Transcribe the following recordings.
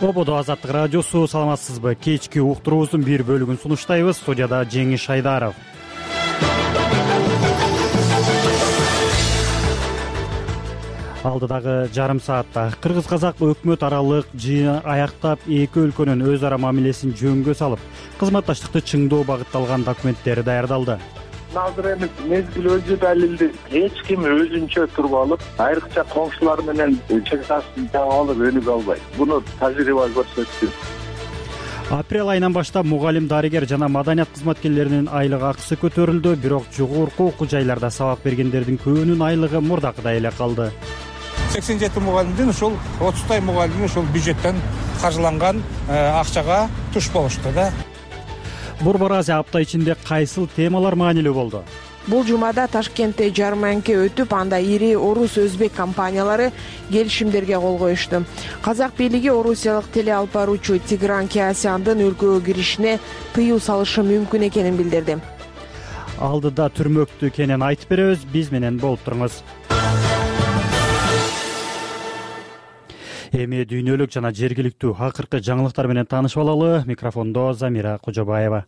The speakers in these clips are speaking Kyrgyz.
Ободо Азаттык радиосу, саламатсызбы? Кечки уктуруубуздун бир бөлүгүн сунуштайбыз. Студияда Жеңиш Айдаров. Алдыдагы жарым саатта кыргыз-казак өкмөт аралык жыйын аяктап, эки өлкөнүн өз ара мамилесин жөнгө салып, кызматташтыкты чыңдоо багытталган документтери даярдалды. Азыр эми мезгил өзү далилди. Эч ким өзүнчө туруп алып, айрыкча коңшулар менен чыгысын жаап алып өнүгө албайт. Буну тажрыйба көрсөттү. Апрель айынан баштап мугалим, дарыгер жана маданият кызматкерлеринин айлык акысы көтөрүлдү, бирок жогорку окуу жайларда сабак бергендердин көбүнүн айлыгы мурдакыдай эле калды. 87 мугалимдин ушул 30 мугалими ушул бюджеттен каржыланган акчага туш болушту да. Борбор Азия апта ичинде кайсыл темалар маанилүү болду? Бул жумада Ташкентте жарманке өтүп, анда ири орус өзбек компаниялары келишимдерге кол коюшту. Казак бийлиги орусиялык теле алып баруучу Тигран Кеасяндын өлкөгө киришине тыюу салышы мүмкүн экенин билдирди. Алдыда түрмөктүү экенин айтып беребиз, биз менен болуп туруңуз. Эми дүйнөлүк жана жергиликтүү акыркы жаңылыктар менен таанышып алалы. Микрофондо Замира Кожобаева.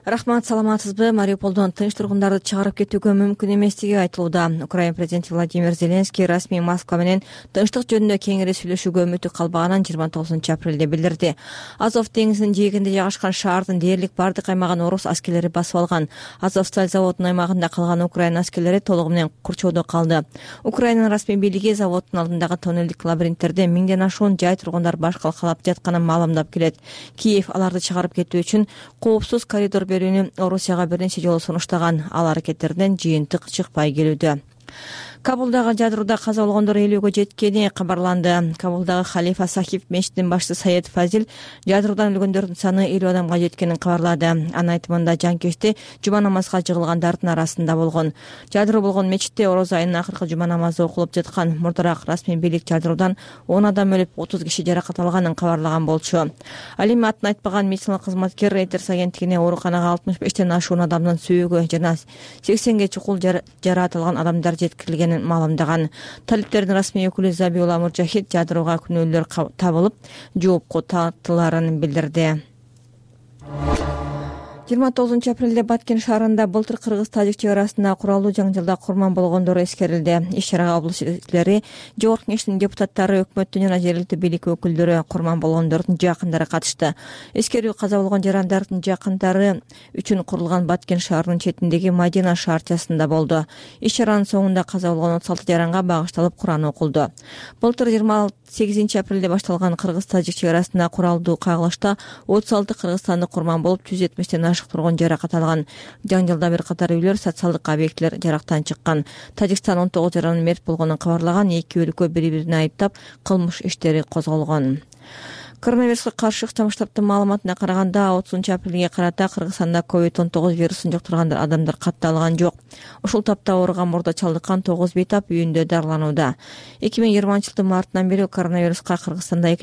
Рахмат, саламатсызбы? Мариуполдон тынч тургундарды чыгарып кетүүгө мүмкүн эместиги айтылууда. Украина президенти Владимир Зеленский расмий Москва менен тынчтык жөнүндө кеңири сүйлөшүүгө үмүтү калбаганын 29 апрелде билдирди. Азов деңизинин жээгинде жайгашкан шаардын дээрлик бардык аймагын орус аскерлери басып алган. Азовсталь заводунун аймагында калган Украина аскерлери толугу менен курчоодо калды. Украинанын расмий бийлиги заводдун алдындагы тоннелдик лабиринттерде миңден ашуун жай тургундар баш калкалап жатканын маалымдап келет. Киев аларды чыгарып кетүү үчүн коопсуз коридор берүүнү Орусияга бир нече жолу сунуштаган. Ал аракеттерден жыйынтык чыкпай келүүдө. Кабулдагы жадырууда каза болгондор 50-гө жеткени кабарланды. Кабулдагы Халифа Сахиб мечитинин башчысы Саед Фазил жадыруудан өлгөндөрдүн саны 50 адамга жеткенин кабарлады. Анын айтымында жанкечти жума намазга жыгылгандардын арасында болгон. Жадыруу болгон мечитте ороз айынын акыркы жума намазы окулуп жаткан. Мурдараак расмий бийлик жадыруудан 10 адам өлүп, 30 киши жаракат алганын кабарлаган болчу. Ал эми атын айтпаган медициналык кызматкер Reuters агенттигине ооруканага 65тен ашуун адамдын сүйөгү жана 80ге чукул жараатылган адамдар жеткирилгенин маалымдаган. Талиптердин расмий өкүлү Забиулла Муржахид жадырууга күнөөлөр табылып, жоопко тартыларын билдирди. 29 апрелде Баткен шаарында былтыр кыргыз-тажик чек арасында куралдуу жаңжалда курман болгондор эскерилди. Иш-чарага облус элчилери, жогорку кеңештин депутаттары, өкмөттүн жана жергиликтүү бийлик өкүлдөрү, курман болгондордун жакындары катышты. Эскерүү каза болгон жарандардын жакындары үчүн курулган Баткен шаарынын четиндеги Мадина шаарчасында болду. Иш-чаранын соңунда каза болгон 36 жаранга багышталып Куран окулду. Былтыр 28 апрелде башталган кыргыз-тажик чек арасында куралдуу кагылышта 36 кыргызстандык курман болуп, 170тен тургун жаракат алган. Жаңжалда бир катар үйлөр, социалдык объектилер жарактан чыккан. Тажикстан 19 жаранын мерт болгонун кабарлаган. Эки өлкө бири-бирине айыптап, кылмыш иштери козголгон. Коронавируска каршы ыктам штабтын маалыматына караганда 30 апрелге карата Кыргызстанда COVID-19 вирусун жуктурган адамдар катталган жок. Ушул тапта ооруган мурда чалдыккан 9 бейтап үйүндө дарыланууда. 2020-жылдын мартынан бери коронавируска Кыргызстанда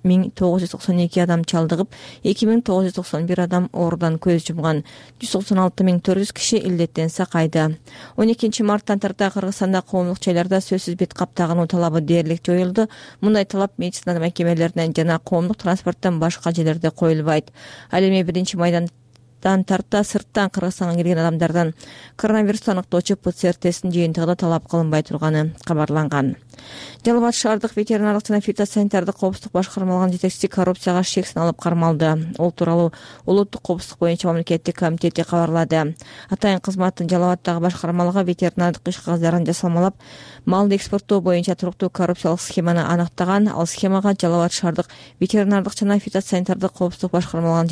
200.992 адам чалдыгып, 2.991 адам оорудан көз жумган. 196.400 киши илдеттен сакайды. 12 марттан тарта Кыргызстанда коомдук жайларда сөзсүз бет каптагынуу талабы дээрлик жоюлду. Мындай талап медицина мекемелеринен жана коомдук транспорттон башка жерлерде коюлбайт. Ал эми 1-майдандан тарта сырттан Кыргызстанга келген адамдардан коронавирусту аныктоочу ПЦР тестин жыйынтыгы талап кылынбай турганы кабарланган. Жалал Абад шаардык ветеринардык жана фитосанитардык коопсуздук башкармалыгынын жетекчиси коррупцияга шек саналып кармалды. Ол тууралуу улуттук коопсуздук боюнча мамлекеттик комитети кабарлады. Атайын кызматтын Жалал Абаддагы башкармалыгы ветеринардык иш кагаздарын жасалмалап, малды экспорттоо боюнча туруктуу коррупциялык схеманы аныктаган. Ал схемага Жалал Абад шаардык ветеринардык жана фитосанитардык коопсуздук башкармалыгынын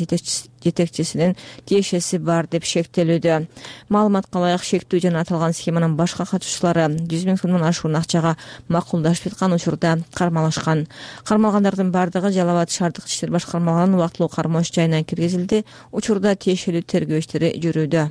жетекчисинин тиешеси бар деп шектелүүдө. Маалыматка ылайык, шектүү жана аталган схеманын башка катышуучулары 100 000 сомдон ашуун акчага макулдашып жаткан учурда кармалышкан. Кармалгандардын бардыгы Жалал Абад шаардык иштер башкармалыгынын убактылуу кармооч жайына киргизилди. Учурда тиешелүү тергөө иштери жүрүүдө.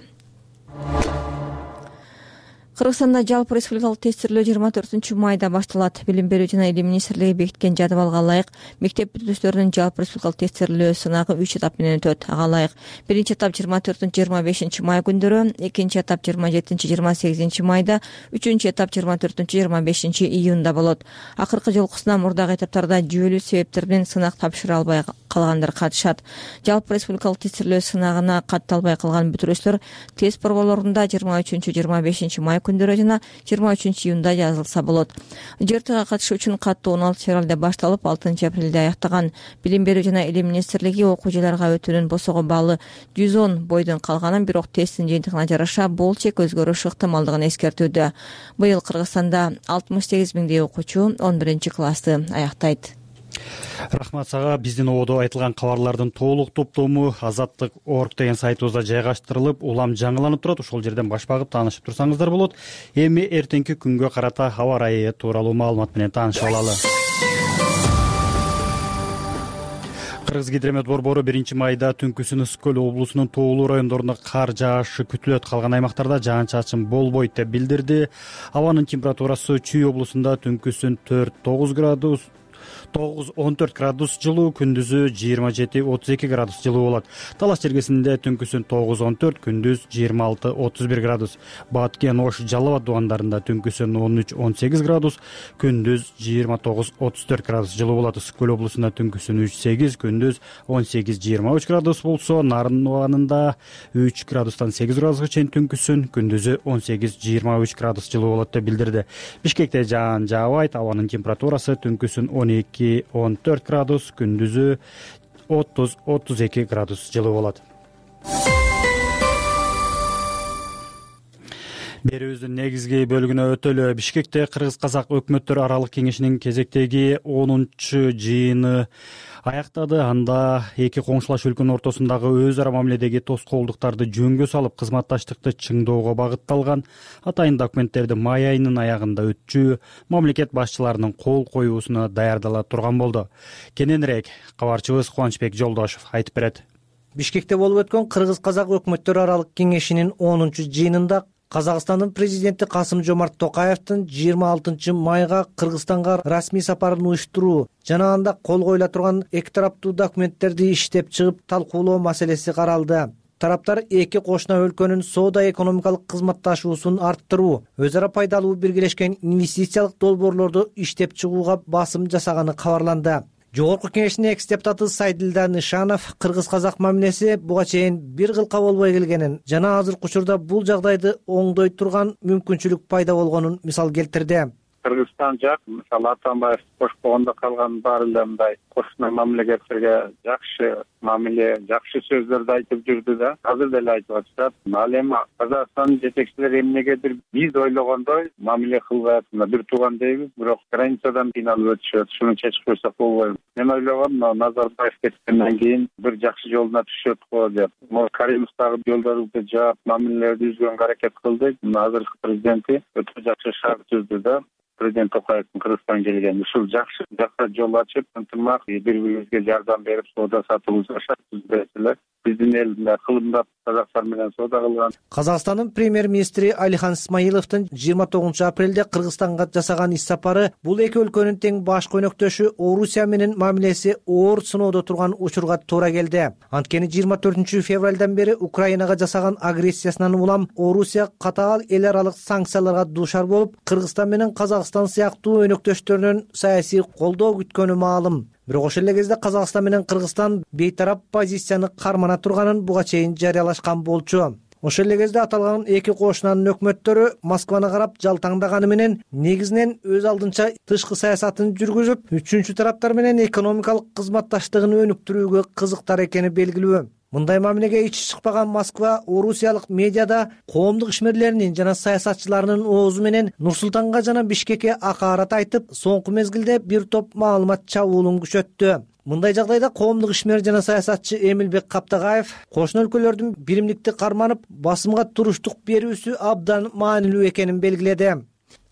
Кыргызстанда жалпы республикалык тестирлөө 24-майда башталат. Билим берүү жана илим министрлиги бекиткен жадыбалга ылайык мектеп бүтүүчүлөрүнүн жалпы республикалык тестирлөө сынагы 3 этап менен өтөт. Ага ылайык биринчи этап 24-25 май күндөрү, экинчи этап 27-28 майда, үчүнчү этап 24-25 июнда болот. Акыркы жолкусунан мурдагы этаптарда жүйөлүү себептер менен сынак тапшыра албай калгандар катышат. Жалпы республикалык тестирлөө сынагына каттала албай калган бүтүрүүчүлөр тест борборлорунда 23-25 май күндөрү жана 23 июнда жазылса болот. ЖРТга катышуу үчүн каттоо 16 февралда башталып, 6 апрелде аяктаган. Билим берүү жана илим министрлиги окуу жайларга өтүүнүн босого баалы 110 бойдон калганын, бирок тесттин жыйынтыгына жараша бул чек өзгөрүш ыктымалдыгын эскертүүдө. Быйыл Кыргызстанда 68 миңдей окуучу 11 классты аяктайт. Рахмат сага. Биздин ободо айтылган кабарлардын толук топтому Азаттык.org деген сайтыбызда жайгаштырылып, улам жаңыланып турат. Ошол жерден баш багып таанышып турсаңыздар болот. Эми эртеңки күнгө карата аба ырайы тууралуу маалымат менен таанышып алалы. Кыргызгидромет борбору 1-майда түнкүсүн Ысык көл облусунун тоолуу райондорунда кар жаашы күтүлөт. Калган аймактарда жаан-чачын болбойт деп билдирди. Абанын температурасы Чүй облусунда түнкүсүн 9-14 градус жылуу, күндүзү 27-32 градус жылуу болот. Талаш жергесинде түнкүсүн 9-14, күндүз 26-31 градус. Баткен, Ош, Жалал Абад дубандарында түнкүсүн 13-18 градус, күндүз 29-34 градус жылуу болот. Ысык көл облусунда түнкүсүн 3-8, күндүз 18-23 градус болсо, Нарын дубанында 3 градустан 8 градуска чейин түнкүсүн, күндүзү 18-23 градус жылуу болот деп билдирди. Бишкекте жаан жаабайт. Абанын температурасы түнкүсүн 12-14 градус, күндүзү 30-32 градус жылуу болот. Берүүбүздүн негизги бөлүгүнө өтөлү. Бишкекте Кыргыз-Казак өкмөттөр аралык кеңешинин кезектеги 10-чу жыйыны аяктады. Анда эки коңшулаш өлкөнүн ортосундагы өз ара мамиледеги тоскоолдуктарды жөнгө салып, кызматташтыкты чыңдоого багытталган атайын документтерди май айынын аягында өтчү мамлекет башчыларынын кол коюусуна даярдала турган болду. Кененирээк кабарчыбыз Кубанычбек Жолдошов айтып берет. Бишкекте болуп өткөн Кыргыз-Казак өкмөттөр аралык кеңешинин 10-чу жыйынында Казакстандын президенти Касым-Жомарт Токаевдин 26 майга Кыргызстанга расмий сапарын уюштуруу жана анда кол коюла турган эки тараптуу документтерди иштеп чыгып талкуулоо маселеси каралды. Тараптар эки кошуна өлкөнүн соода-экономикалык кызматташуусун арттыруу, өз ара пайдалуу биргелешкен инвестициялык долбоорлорду иштеп чыгууга басым жасаганы кабарланды. Жогорку кеңештин экс-депутаты Сайдилда Нышанов Кыргыз-Казак мамилеси буга чейин бир кылка болбой келгенин жана азыркы учурда бул жагдайды оңдой турган мүмкүнчүлүк пайда болгонун мисал келтирди. Кыргызстан жак, мисалы Атамбаев кошпогондо калган баары эле мындай кошуна мамлекеттерге жакшы мамиле, жакшы сөздөрдү айтып жүрдү да, азыр деле айтып атышат. Ал эми Казакстандын жетекчилери эмнегедир биз ойлогондой мамиле кылбай атышат. Бир тууган дейбиз, бирок границадан кыйналып өтүшөт. Шуну чечип койсок болбойбу. Мен ойлогом, Назарбаев кеткенден кийин бир жакшы жолуна түшөт го деп. Каримовдагы жолдорубузду жаап, мамилелерди үзгөнгө аракет кылдык. Азыркы президенти өтө жакшы шарт түздү да. Президент Токаевдин Кыргызстанга келгени ушул жакшы жакка жол ачып, ынтымак, бири-бирибизге жардам берип, соода сатуубузга шарт түзбөсөлөр. Биздин эл кылымдап Казакстан менен соода кылган. Казакстандын премьер-министри Алихан Исмаиловдун 29 апрелде Кыргызстанга жасаган иш сапары бул эки өлкөнүн тең баш көйнөктөшү Орусия менен мамилеси оор сыноодо турган учурга туура келди. Анткени 24 февралдан бери Украинага жасаган агрессиясынан улам Орусия катаал эл аралык санкцияларга дуушар болуп, Кыргызстан менен Казакстан сыяктуу өнөктөштөрүнөн саясий колдоо күткөнү маалым. Бирок ошол эле кезде Казакстан менен Кыргызстан бейтарап позицияны кармана турганын буга чейин жарыялашкан болчу. Ошол эле кезде аталган эки кошунанын өкмөттөрү Москваны карап жалтаңдаганы менен негизинен өз алдынча тышкы саясатын жүргүзүп, үчүнчү тараптар менен экономикалык кызматташтыгын өнүктүрүүгө кызыктар экени белгилүү. Мындай мамилеге ичи чыкпаган Москва орусиялык медиада коомдук ишмерлеринин жана саясатчыларынын оозу менен Нур-Султанга жана Бишкекке акаарат айтып, соңку мезгилде бир топ маалымат чабуулун күчөттү. Мындай жагдайда коомдук ишмер жана саясатчы Эмилбек Каптагаев кошуна өлкөлөрдүн биримдикти карманып, басымга туруштук берүүсү абдан маанилүү экенин белгиледи.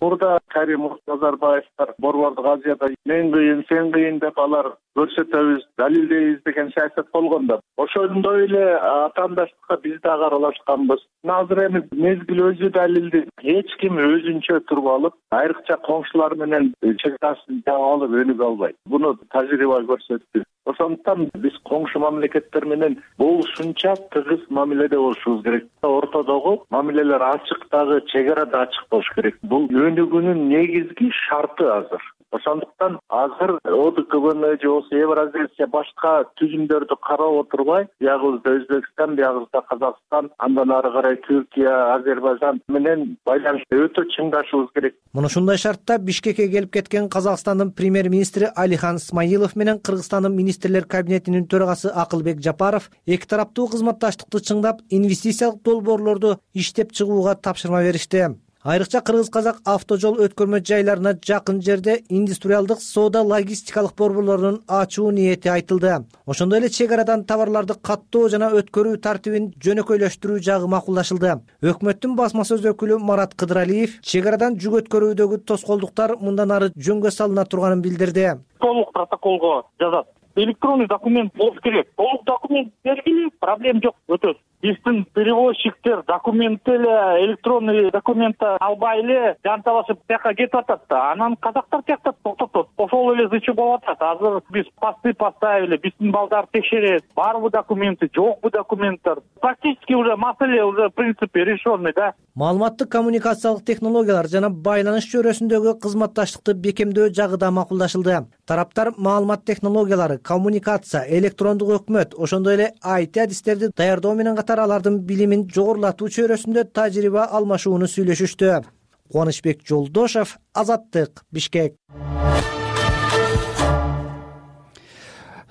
Мурда Каримов, Назарбаевдер Борбордук Азияда мен кыйын, сен кыйын деп алар көрсөтөбүз, далилдейбиз деген саясат болгондо, ошондой эле атаандаштыкка биз дагы аралашканбыз. Азыр эми мезгил өзү далилди. Эч ким өзүнчө туруп алып, айрыкча коңшулар менен чек тасын жаап алып өнүгө албайт. Буну тажрыйба көрсөттү. Ошондуктан биз коңшу мамлекеттер менен болушунча тыгыз мамиледе болушубуз керек. Ортодогу мамилелер ачык, дагы чек ара да ачык болуш керек. Бул өнүгүүнүн негизги шарты азыр. Ошондуктан азыр ОДКБны же болбосо Евразия башка түзүмдөрдү карап отурбай, биягыбызда Өзбекстан, биягыбызда Казакстан, андан ары карай Түркия, Азербайжан менен байланышты өтө чыңдашыбыз керек. Мына ушундай шартта Бишкекке келип кеткен Казакстандын премьер-министри Алихан Смайылов менен Кыргызстандын министрлер кабинетинин төрагасы Акылбек Жапаров эки тараптуу кызматташтыкты чыңдап, инвестициялык долбоорлорду иштеп чыгууга тапшырма беришти. Айрыкча кыргыз-казак автожол өткөрмө жайларына жакын жерде индустриалдык соода логистикалык борборлорунун ачуу ниети айтылды. Ошондой эле чек арадан товарларды каттоо жана өткөрүү тартибин жөнөкөйлөштүрүү жагы макулдашылды. Өкмөттүн басма сөз өкүлү Марат Кыдыралиев чек арадан жүк өткөрүүдөгү тоскоолдуктар мындан ары жөнгө салына турганын билдирди. Толук протоколго жазат. Электронный документ болуш керек. Толук документ бергиле, проблем жок, өтөт. Биздин перевозчиктер документти эле электронный документти албай эле жанталашып тияка кетип атат да. Анан казактар тиякта токтотот. Ошол эле зычы болуп атат. Азыр биз посты поставили, биздин балдар текшерет. Барбы документи, жокпу документтер. Практически уже маселе уже в принципе решенный, да. Маалыматтык коммуникациялык технологиялар жана байланыш чөйрөсүндөгү кызматташтыкты бекемдөө жагы да макулдашылды. Тараптар маалымат технологиялары, коммуникация, электрондук өкмөт, ошондой эле IT адистерди даярдоо менен катар алардын билимин жогорулатуу чөйрөсүндө тажрыйба алмашууну сүйлөшүштү. Кубанычбек Жолдошев, Азаттык, Бишкек.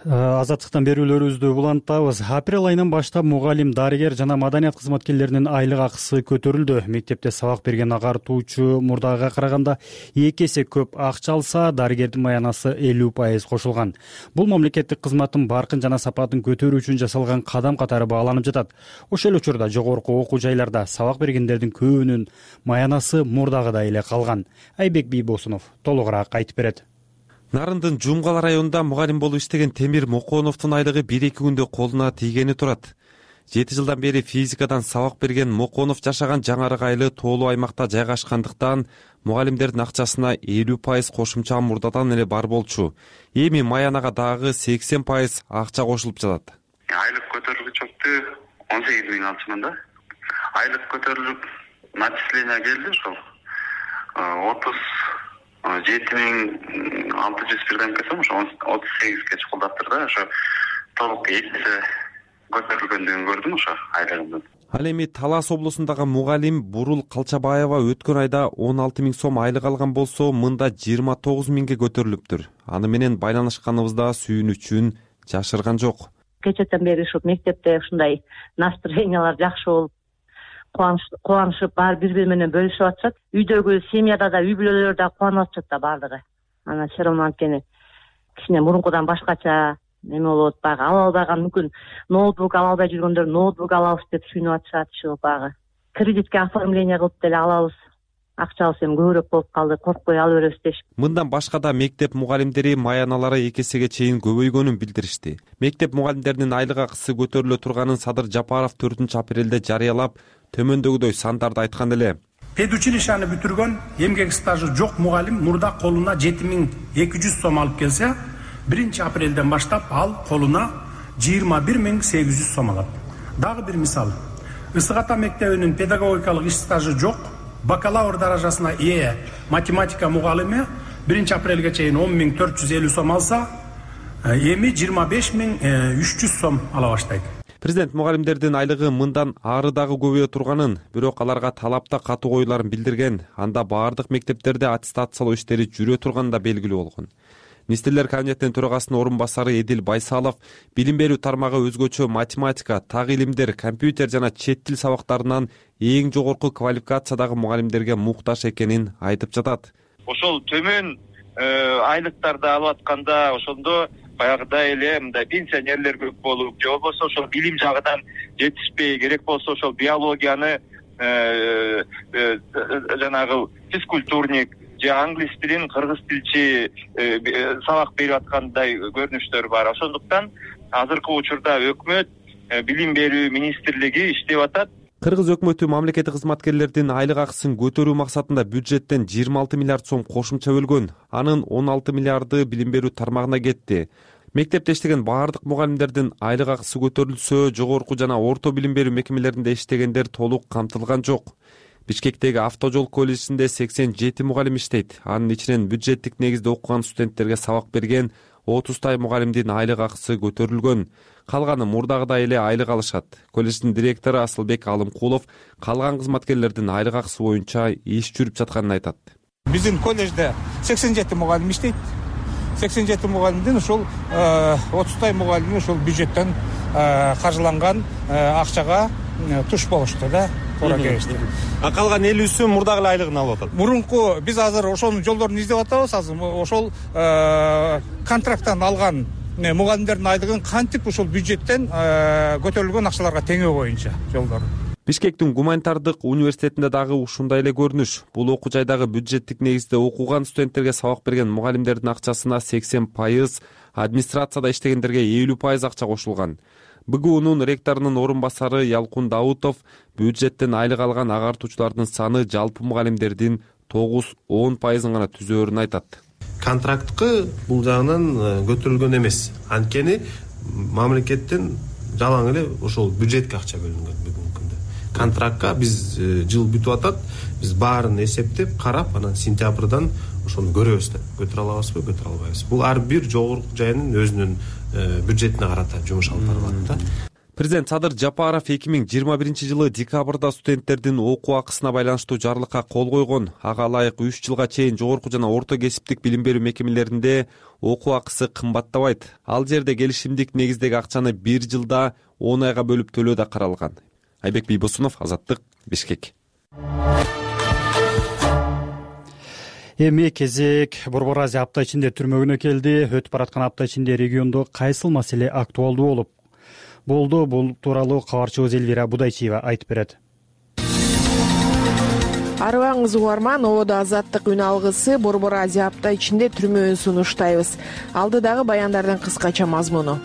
Азаттыктан берүүлөрүбүздү улантабыз. Апрель айынан баштап мугалим, дарыгер жана маданият кызматкерлеринин айлык акысы көтөрүлдү. Мектепте сабак берген агартуучу мурдагыга караганда 2 эсе көп акча алса, дарыгердин маянасы 50% кошулган. Бул мамлекеттик кызматтын баркын жана сапатын көтөрүү үчүн жасалган кадам катары бааланып жатат. Ошол эле учурда жогорку окуу жайларда сабак бергендердин көбүнүн маянасы мурдагыдай эле калган. Айбек Бийбосунов толугураак айтып берет. Нарындын Жумгала районунда мугалим болуп иштеген Темир Моконовдун айлыгы 1-2 күндө колуна тийгени турат. 7 жылдан бери физикадан сабак берген Моконов жашаган жаңырык айлы тоолуу аймакта жайгашкандыктан мугалимдердин акчасына 50% кошумча мурдадан эле бар болчу. Эми маянага дагы 80% акча кошулуп жатат. Айлык көтөрүлгүчөктү 18 миң алчумун да. Айлык көтөрүлүп начисление келди ошол 37.601 кесем, ошо 38ге чукулдаптыр да, ошо толук эсе көтөрүлгөндүгүн көрдүм ошо айлыгымдын. Ал эми Талас облусундагы мугалим Бурул Калчабаева өткөн айда 16 миң сом айлык алган болсо, мында 29 миңге көтөрүлүптүр. Аны менен байланышканыбызда сүйүнүчүн жашырган жок. Кечээден бери ушу мектепте ушундай настроениялар жакшы болуп, кубанышып баары бири менен бөлүшүп атышат. Үйдөгү семьяда да, үй бүлөлөр да кубанып атышат да баардыгы. Анан все равно анткени кичине мурункудан башкача эме болот, баягы ала албаган мүмкүн ноутбук ала албай жүргөндөр ноутбук алабыз деп сүйүнүп атышат. Ушу баягы кредитке оформление кылып деле алабыз. Акчабыз эми көбүрөөк болуп калды, коркпой ала беребиз дешип. Мындан башка да мектеп мугалимдери маяналары 2 эсеге чейин көбөйгөнүн билдиришти. Мектеп мугалимдеринин айлык акысы көтөрүлө турганын Садыр Жапаров 4-апрелде жарыялап, төмөндөгүдөй сандарды айткан эле. Педучилищаны бүтүргөн, эмгек стажы жок мугалим мурда колуна 7200 сом алып келсе, 1-апрелден баштап ал колуна 21800 сом алат. Дагы бир мисал. Ысык Ата мектебинин педагогикалык иш стажы жок, бакалавр даражасына ээ математика мугалими 1-апрелге чейин 10450 сом алса, эми 25300 сом ала баштайт. Президент мугалимдердин айлыгы мындан ары дагы көбөйө турганын, бирок аларга талапта катуу коюларын билдирген. Анда баардык мектептерде аттестациялоо иштери жүрө турганы да белгилүү болгон. Министрлер кабинетинин төрагасынын орун басары Эдил Байсалов билим берүү тармагы өзгөчө математика, так илимдер, компьютер жана чет тил сабактарынан эң жогорку квалификациядагы мугалимдерге муктаж экенин айтып жатат. Ошол төмөн айлыктарды алып атканда ошондо баягыдай эле мындай пенсионерлер көп болуп, же болбосо ошол билим жагынан жетишпей, керек болсо ошол биологияны жанагы физкультурник же англис тилин кыргыз тилчи сабак берип аткандай көрүнүштөр бар. Ошондуктан азыркы учурда өкмөт билим берүү министрлиги иштеп атат. Кыргыз өкмөтү мамлекеттик кызматкерлердин айлык акысын көтөрүү максатында бюджеттен 26 миллиард сом кошумча бөлгөн. Анын 16 миллиарды билим берүү тармагына кетти. Мектепте иштеген баардык мугалимдердин айлык акысы көтөрүлсө, жогорку жана орто билим берүү мекемелеринде иштегендер толук камтылган жок. Бишкектеги Автожол колледжинде 87 мугалим иштейт. Анын ичинен бюджеттик негизде окуган студенттерге сабак берген 30 мугалимдин айлык акысы көтөрүлгөн. Калганы мурдагыдай эле айлык алышат. Колледждин директору Асылбек Алымкулов калган кызматкерлердин айлык акысы боюнча иш жүрүп жатканын айтат. Биздин колледжде 87 мугалим иштейт. 87 мугалимдин ушул 30 мугалими ушул бюджеттен каржыланган акчага туш болушту да. А калган 50-сү мурдагы эле айлыгын алып атат. Мурунку биз азыр ошонун жолдорун издеп атабыз. Азыр ошол контракттан алган мугалимдердин айлыгын кантип ушул бюджеттен көтөрүлгөн акчаларга теңөө боюнча жолдору. Бишкектин гуманитардык университетинде дагы ушундай эле көрүнүш. Бул окуу жайдагы бюджеттик негизде окуган студенттерге сабак берген мугалимдердин акчасына 80%, администрацияда иштегендерге 50% акча кошулган. БГУнун ректорунун орун басары Ялкун Даутов бюджеттен айлык алган агартуучулардын саны жалпы мугалимдердин 9-10% гана түзөөрүн айтат. Контракткы бул жагынан көтөрүлгөн эмес. Анткени мамлекеттен жалаң эле ошол бюджетке акча бөлүнгөн бүгүнкү күндө. Контрактка биз жыл бүтүп атат. Биз баарын эсептеп, карап, анан сентябрдан ошону көрөбүз да. Көтөрө алабызбы, көтөрө албайбызбы. Бул ар бир жогорку жайынын өзүнүн бюджетине карата жумуш алып барылат да. Президент Садыр Жапаров 2021-жылы декабрда студенттердин окуу акысына байланыштуу жарлыкка кол койгон. Ага ылайык 3 жылга чейин жогорку жана орто кесиптик билим берүү мекемелеринде окуу акысы кымбаттабайт. Ал жерде келишимдик негиздеги акчаны 1 жылда 10 айга бөлүп төлөө да каралган. Айбек Бийбосунов, Азаттык, Бишкек. Эми кезек Борбор Азия апта ичинде түрмөгүнө келди. Өтүп бараткан апта ичинде региондо кайсыл маселе актуалдуу болду? Бул тууралуу кабарчыбыз Элвира Будайчиева айтып берет. Арыбаңыз угарман, ободо Азаттык үн алгысы Борбор Азия апта ичинде түрмөөнү сунуштайбыз. Алдыдагы баяндардын кыскача мазмуну.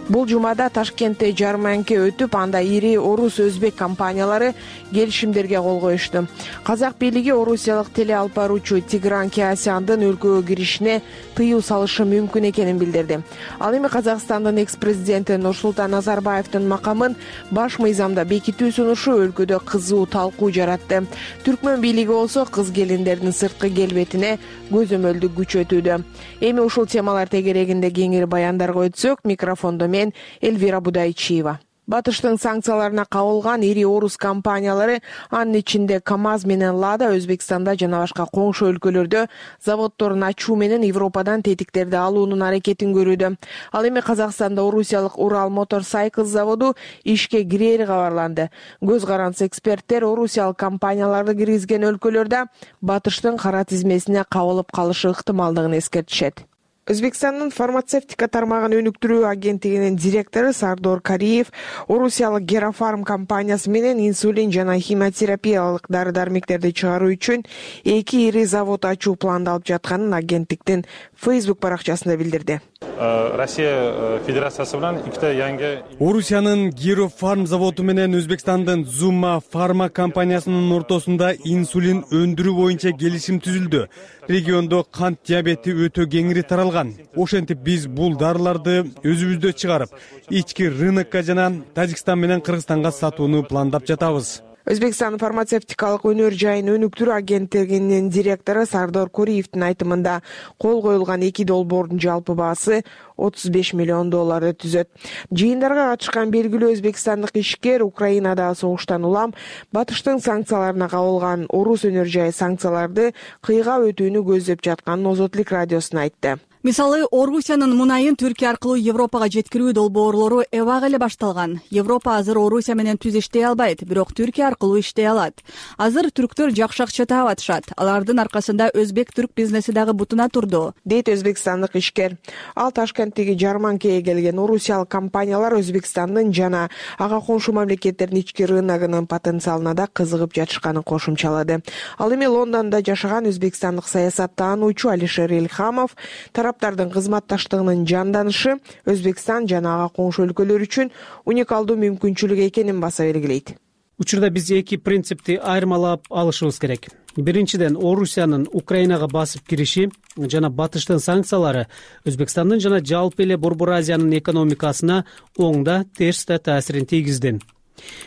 Бул жумада Ташкентте жарманке өтүп, анда ири орус өзбек компаниялары келишимдерге кол коюшту. Казак бийлиги орусиялык теле алып баруучу Тигран Кеасяндын өлкөгө киришине тыюу салышы мүмкүн экенин билдирди. Ал эми Казакстандын экс-президенти Нурсултан Назарбаевдин макамын баш мыйзамда бекитүү сунушу өлкөдө кызуу талкуу жаратты. Түркмөн бийлиги болсо кыз келиндердин сырткы келбетине көзөмөлдү күчөтүүдө. Эми ушул темалар тегерегинде кеңири баяндарга өтсөк, микрофондо мен Элвира Будайчиева. Батыштын санкцияларына кабылган ири орус компаниялары, анын ичинде КАМАЗ менен Лада Өзбекстанда жана башка коңшу өлкөлөрдө заводдорун ачуу менен Европадан тетиктерди алуунун аракетин көрүүдө. Ал эми Казакстанда орусиялык Урал Motorcycles заводу ишке кирери кабарланды. Көз карандысы эксперттер орусиялык компанияларды киргизген өлкөлөрдө Батыштын кара тизмесине кабылып калышы ыктымалдыгын эскертишет. Өзбекстандын фармацевтика тармагын өнүктүрүү агенттигинин директору Сардор Кариев орусиялык Герафарм компаниясы менен инсулин жана химиотерапиялык дары-дармектерди чыгаруу үчүн 2 ири завод ачуу пландалып жатканын агенттиктин Facebook баракчасында билдирди. Россия Федерациясы менен ikkita yangi Орусиянын Герафарм заводу менен Өзбекстандын Zuma фарма компаниясынын ортосунда инсулин өндүрүү боюнча келишим түзүлдү. Региондо кант диабети өтө кеңири таралган. Ошентип биз бул дарыларды өзүбүздө чыгарып, ички рынокко жана Тажикстан менен Кыргызстанга сатууну пландап жатабыз. Өзбекстан фармацевтикалык өнөр жайын өнүктүрүү агенттигинин директору Сардор Кориевдин айтымында кол коюлган 2 долбоордун жалпы баасы $35 миллион түзөт. Жыйындарга катышкан белгилүү өзбекстандык ишкер Украинада согуштан улам Батыштын санкцияларына кабылган орус өнөр жайы санкцияларды кыйга өтүүнү көздөп жатканын Озотлук радиосуна айтты. Мисалы, Орусиянын мунайын Түркия аркылуу Европага жеткирүү долбоорлору эбак эле башталган. Европа азыр Орусия менен түз иштей албайт, бирок Түркия аркылуу иштей алат. Азыр түрктөр жакшы акча таап атышат. Алардын аркасында өзбек-түрк бизнеси дагы бутуна турду, дейт өзбекстандык ишкер. Ал Ташкенттеги жарманкага келген орусиялык компаниялар Өзбекстандын жана ага коңшу мамлекеттердин ички рыногунун потенциалына да кызыгып жатышканын кошумчалады. Ал эми Лондондо жашаган өзбекстандык саясаттануучу Алишер Элхамов тараптардын кызматташтыгынын жанданышы Өзбекстан жана ага коңшу өлкөлөр үчүн уникалдуу мүмкүнчүлүк экенин баса белгилейт. Учурда биз эки принципти айырмалап алышыбыз керек. Биринчиден, Орусиянын Украинага басып кириши жана батыштын санкциялары Өзбекстандын жана жалпы эле Борбор Азиянын экономикасына оң да терс да таасирин тийгизди.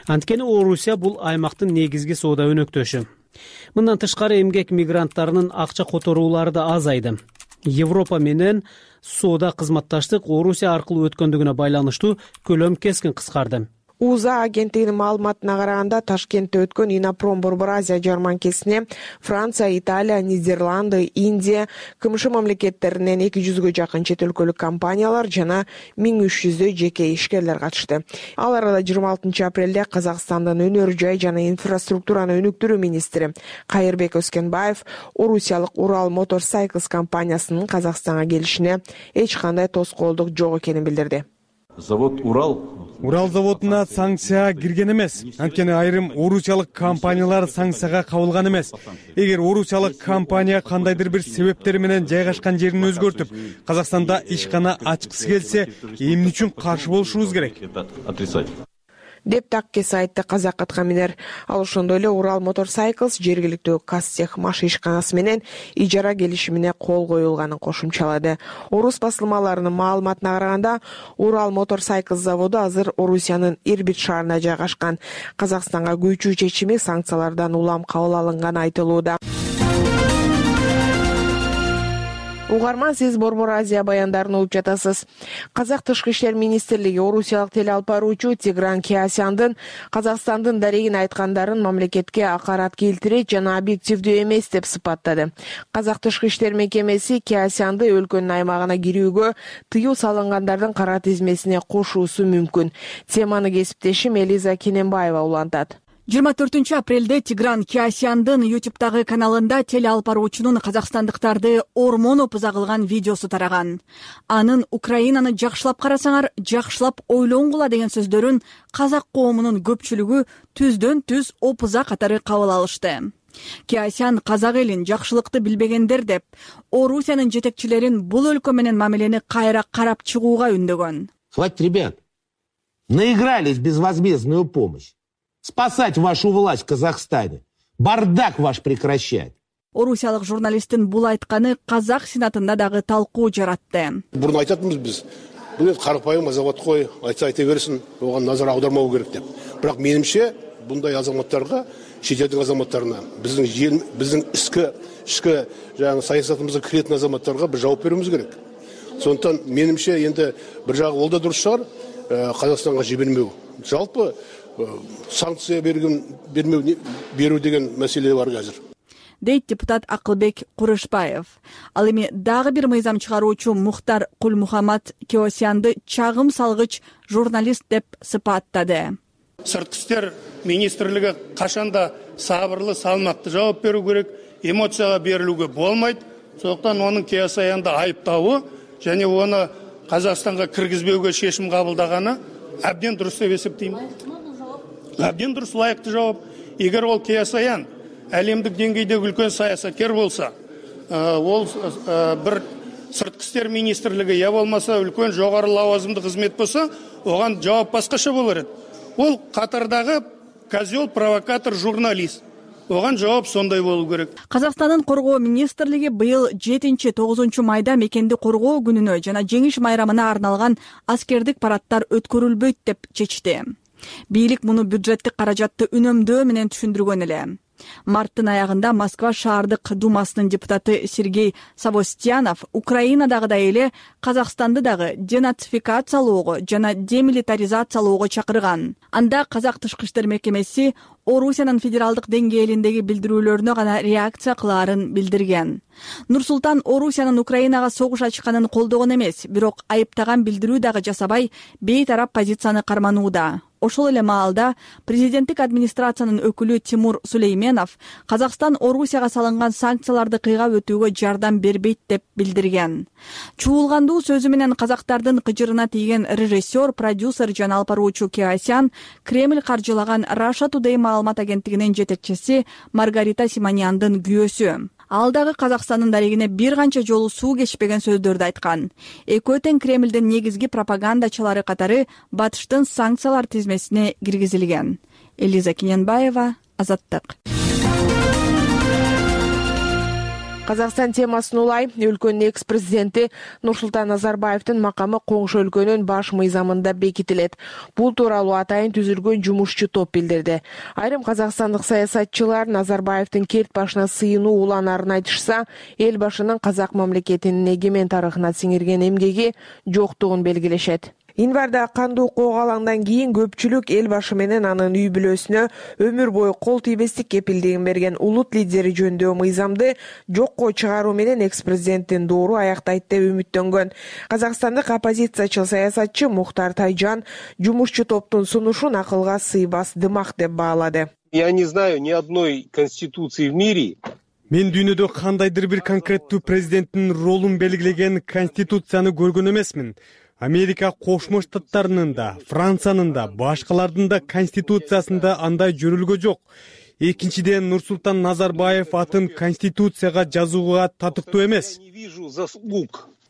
Анткени Орусия бул аймактын негизги соода өнөктөшү. Мындан тышкары эмгек мигранттарынын акча которуулары да азайды. Европа менен соода кызматташтык Орусия аркылуу өткөндүгүнө байланыштуу көлөм кескин кыскарды. УЗА агенттигинин маалыматына караганда Ташкентте өткөн Инопром Борбор Азия жарманкесине Франция, Италия, Нидерланды, Индия, КМШ мамлекеттеринен 200гө жакын чет өлкөлүк компаниялар жана 1300 жеке ишкерлер катышты. Ал арада 26 апрелде Казакстандын өнөр жай жана инфраструктураны өнүктүрүү министри Кайырбек Өскенбаев орусиялык Урал Motorcycles компаниясынын Казакстанга келишине эч кандай тоскоолдук жок экенин билдирди. Завод Урал заводуна санкция кирген эмес. Анткени айрым орусиялык компаниялар санкцияга кабылган эмес. Эгер орусиялык компания кандайдыр бир себептер менен жайгашкан жерин өзгөртүп, Казакстанда ишкана ачкысы келсе, эмне үчүн каршы болушубуз керек? Деп таккес айтты Казак Аткаминер. Ал ошондой эле Урал Motorcycles жергиликтүү Казтех маш ишканасы менен ижара келишимине кол коюлганын кошумчалады. Орус басылмаларынын маалыматына караганда, Урал Motorcycles заводу азыр Орусиянын Ирбит шаарында жайгашкан. Казакстанга күйчүү чечими санкциялардан улам кабыл алынганы айтылууда. Угарман, сиз Борбор Азия баяндарын угуп жатасыз. Казак Тышкы иштер министрлиги орусиялык телеалпаруучу Тигран Кеосяндын Казакстандын дарегин айткандарын мамлекетке акарат келтирет жана объективдүү эмес деп сыпаттады. Казак Тышкы иштер мекемеси Кеосянды өлкөнүн аймагына кирүүгө тыюу салынгандардын кара тизмесине кошуусу мүмкүн. Теманы кесиптешим Элиза Кененбаева улантат. 24 апрелде Тигран Кеосяндын YouTube'дагы каналында телеалпаруучунун казакстандыктарды ормоноп ыза кылган видеосу тараган. Анын Украинаны жакшылап карасаңар, жакшылап ойлоңгула деген сөздөрүн казак коомунун көпчүлүгү түздөн түз опуза катары кабыл алышты. Кеосян казак элин жакшылыкты билбегендер деп, Орусиянын жетекчилерин бул өлкө менен мамилени кайра карап чыгууга үндөгөн. Хватит, ребят, наигрались безвозмездную помощь. Спасать вашу власть в Казахстане. Бардак ваш прекращать. Орусиялык журналисттин бул айтканы казак сенатында дагы талкуу жаратты. Бурун айтатынбыз биз. Бул карапайым азамат кой, айта берсин, оган назар аудармау керек деп. Бирок менимче bunday азаматтарга, чет элдин азаматтарына, биздин ички жаңы саясатыбызга киретін азаматтарга бир жооп берүүбүз керек. Сондықтан менимче енді бір жағы ол да дұрыс шығар, Қазақстанға жібермеу. Жалпы санкция беру деген мәселе бар қазір. Дейт депутат Акылбек Курышбаев. Ал эми дагы бир мыйзам чыгаруучу Мухтар Кулмухаммад Кеосянды чагым салгыч журналист деп сыпаттады. Сыртқы иштер министрлиги кашанда сабырлы, салмактуу жооп берүү керек, эмоцияга берилүүгө болмойт. Сондықтан оның Кеосянды айыптауы және оны Қазақстанға кіргізбеуге шешім қабылдағаны әбден дұрыс деп есептеймін. Әбден дұрыс, лайықты жауап. Егер ол Кеосян әлемдік деңгейдегі үлкен саясаткер болса, ол бір сыртқы істер министрлігі я болмаса үлкен жоғары лауазымды қызмет болса, оған жауап басқаша болар еді. Ол Қатардағы козел, провокатор, журналист. Оған жооп сондай болуу керек. Казакстандын коргоо министрлиги быйыл 7-9 майда мекенди коргоо күнүнө жана жеңиш майрамына арналган аскердик парадтар өткөрүлбөйт деп чечти. Бийлик муну бюджеттик каражатты үнөмдөө менен түшүндүргөн эле. Марттын аягында Москва шаардык думасынын депутаты Сергей Савостьянов Украинадагыдай эле Казакстанды дагы денацификациялоого жана демилитаризациялоого чакырган. Анда Казак тышкы иштер мекемеси Орусиянын федералдык деңгээлиндеги билдирүүлөрүнө гана реакция кылаарын билдирген. Нур-Султан Орусиянын Украинага согуш ачканын колдогон эмес, бирок айыптаган билдирүү дагы жасабай, бейтарап позицияны карманууда. Ошол эле маалда президенттик администрациянын өкүлү Тимур Сулейменов Казакстан Орусияга салынган санкцияларды кыйгап өтүүгө жардам бербейт деп билдирген. Чуулгандуу сөзү менен казактардын кыжырына тийген режиссер, продюсер жана алпаруучу Киасян Кремль каржылаган Russia Today маалымат агенттигинин жетекчиси Маргарита Симоньяндын күйөөсү. Ал дагы Казакстандын дарегине бир канча жолу суу кечпеген сөздөрдү айткан. Экөө тең Кремлдин негизги пропагандачылары катары Батыштын санкциялар тизмесине киргизилген. Элиза Киненбаева, Азаттык. Казакстан темасын улай өлкөнүн экс-президенти Нурсултан Назарбаевдин макамы коңшу өлкөнүн баш мыйзамында бекитилет. Бул тууралуу атайын түзүлгөн жумушчу топ билдирди. Айрым казакстандык саясатчылар Назарбаевдин керт башына сыйынуу уланаарын айтышса, эл башынын казак мамлекетинин эгемен тарыхына сиңирген эмгеги жоктугун белгилешет. Январда кандуу коогалаңдан кийин көпчүлүк эл башы менен анын үй бүлөсүнө өмүр бою кол тийбестик кепилдигин берген улут лидери жөнүндө мыйзамды жокко чыгаруу менен экс-президенттин доору аяктайт деп үмүттөнгөн. Казакстандык оппозициячыл саясатчы Мухтар Тайжан жумушчу топтун сунушун акылга сыйбас дымак деп баалады. Я не знаю ни одной конституции в мире. Мен дүйнөдө кандайдыр бир конкреттүү президенттин ролун белгилеген конституцияны көргөн эмесмин. Америка Кошмо Штаттарынын да, Франциянын да, башкалардын да конституциясында андай жөрүлгө жок. Экинчиден, Нурсултан Назарбаев атын конституцияга жазууга татыктуу эмес.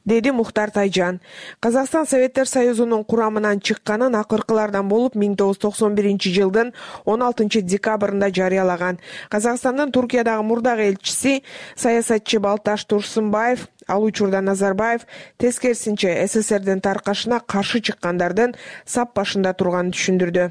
Деди Мухтар Тайжан. Казакстан Советтер Союзунун курамынан чыкканын акыркылардан болуп 1991-жылдын 16-декабрында жарыялаган. Казакстандын Туркиядагы мурдагы элчиси саясатчы Балташ Турсунбаев ал учурда Назарбаев тескерисинче СССРдин таркашына каршы чыккандардын сап башында турганын түшүндүрдү.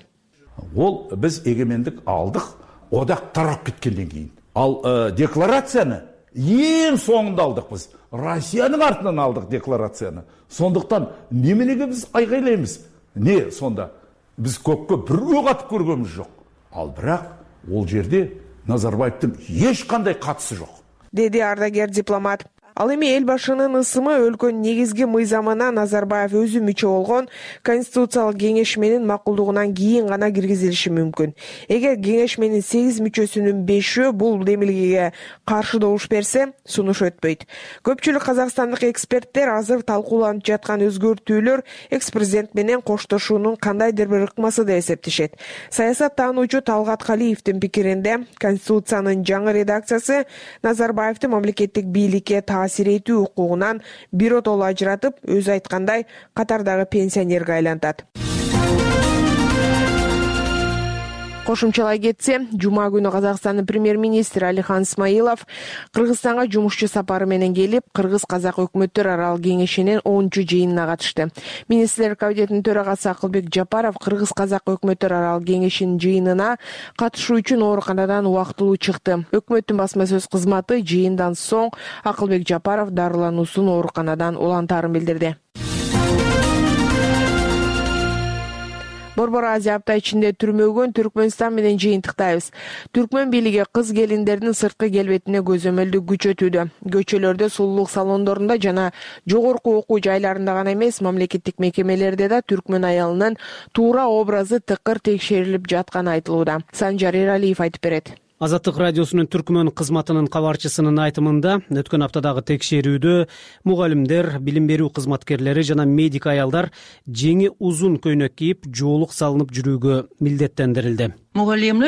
Ол биз эгемендик алдык, одак тарап кеткенден кийин. Ал декларацияны эң соңунда алдык биз. Россиянын артынан алдык декларацияны. Сондуктан немелеге биз айгайлайбыз? Не сонда? Биз көккө бирөө катып көргөнбүз жок. Ал бирок ол жерде Назарбаевдин эч кандай катысы жок. Деди ардагер дипломат. Ал эми эл башынын ысымы өлкөнүн негизги мыйзамына Назарбаев өзү мүчө болгон Конституциялык кеңешменин макулдугунан кийин гана киргизилиши мүмкүн. Эгер кеңешменин 8 мүчөсүнүн 5-өө бул демилгеге каршы добуш берсе, сунуш өтпөйт. Көпчүлүк казакстандык эксперттер азыр талкууланып жаткан өзгөртүүлөр экс-президент менен коштошуунун кандайдыр бир ыкмасы деп эсептешет. Саясат таануучу Талгат Калиевдин пикиринде, Конституциянын жаңы редакциясы Назарбаевдин мамлекеттик бийликке таасир этүү укугунан биротоло ажыратып, өзү айткандай катардагы пенсионерге айлантат. Кошумчалай кетсе, жума күнү Казакстандын премьер-министри Алихан Смайылов Кыргызстанга жумушчу сапары менен келип, Кыргыз-Казак өкмөттөр аралык кеңешинин 10-чу жыйынына катышты. Министрлер кабинетинин төрагасы Акылбек Жапаров Кыргыз-Казак өкмөттөр аралык кеңешинин жыйынына катышуу үчүн ооруканадан убактылуу чыкты. Өкмөттүн басма сөз кызматы жыйындан соң Акылбек Жапаров дарылануусун ооруканадан улантаарын билдирди. Борбор Азия апта ичинде түрмөгөн Түркмөнстан менен жыйынтыктайбыз. Түркмөн бийлиги кыз келиндердин сырткы келбетине көзөмөлдү күчөтүүдө. Көчөлөрдө, сулуулук салондорунда жана жогорку окуу жайларында гана эмес, мамлекеттик мекемелерде да түркмөн аялынын туура образы тыкыр текшерилип жатканы айтылууда. Санжар Эралиев айтып берет. Азаттык радиосунун түркмөн кызматынын кабарчысынын айтымында, өткөн аптадагы текшерүүдө мугалимдер, билим берүү кызматкерлери жана медик аялдар жеңи узун көйнөк кийип, жоолук салынып жүрүүгө милдеттендирилди. Мугалим,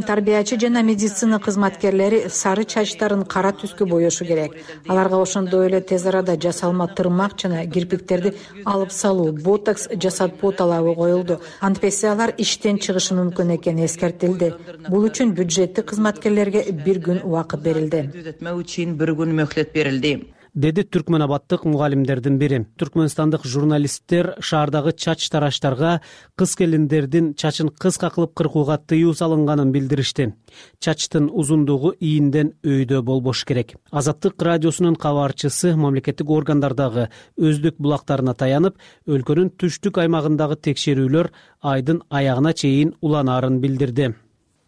тарбиячы жана медицина кызматкерлери сары чачтарын кара түскө боешу керек. Аларга ошондой эле тез арада жасалма тырмак жана кирпиктерди алып салуу, ботокс жасат поталабы коюлду. Антпесе алар иштен чыгышы мүмкүн экени эскертилди. Бул үчүн бюджеттик кызматкерлерге 1 күн убакыт берилди. деди түркмөнабаддык мугалимдердин бири. Түркмөнстандык журналисттер шаардагы чач тараштарга кыз келиндердин чачын кыска кылып кыркууга тыюу салынганын билдиришти. Чачтын узундугу ийинден өйдө болбош керек. Азаттык радиосунун кабарчысы мамлекеттик органдардагы өздүк булактарына таянып, өлкөнүн түштүк аймагындагы текшерүүлөр айдын аягына чейин уланаарын билдирди.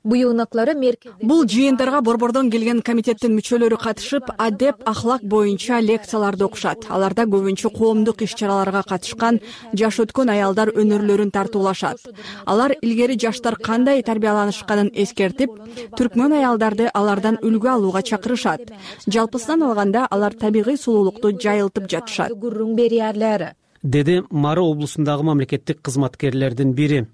Бул жыйындарга борбордон келген комитеттин мүчөлөрү катышып, адеп, ахлак боюнча лекцияларды окушат. Аларда көбүнчө коомдук иш-чараларга катышкан жаш өткөн аялдар өнөрлөрүн тартуулашат. Алар илгери жаштар кандай тарбияланышканын эскертип, түркмөн аялдарды алардан үлгү алууга чакырышат. Жалпысынан алганда алар табигый сулуулукту жайылтып жатышат, деди Мары облусундагы мамлекеттик кызматкерлердин бири.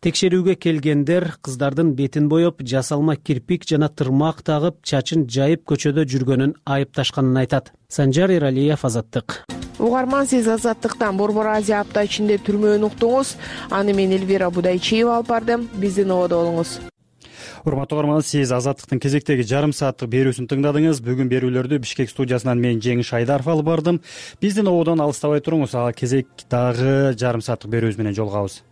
Текшерүүгө келгендер кыздардын бетин боеп, жасалма кирпик жана тырмак тагып, чачын жайып көчөдө жүргөнүн айыпташканын айтат. Санжар Эралиев, Азаттык. Угарман, сиз Азаттыктан Борбор Азия апта ичинде түрмөөнү уктуңуз. Аны мен Элвира Будайчиева алып бардым. Биздин ободо болуңуз. Урматтуу угарман, сиз Азаттыктын кезектеги жарым сааттык берүүсүн тыңдадыңыз. Бүгүн берүүлөрдү Бишкек студиясынан мен Жеңиш Айдаров алып бардым. Биздин ободон алыстабай туруңуз. Кезек дагы жарым сааттык берүүбүз менен жолугабыз.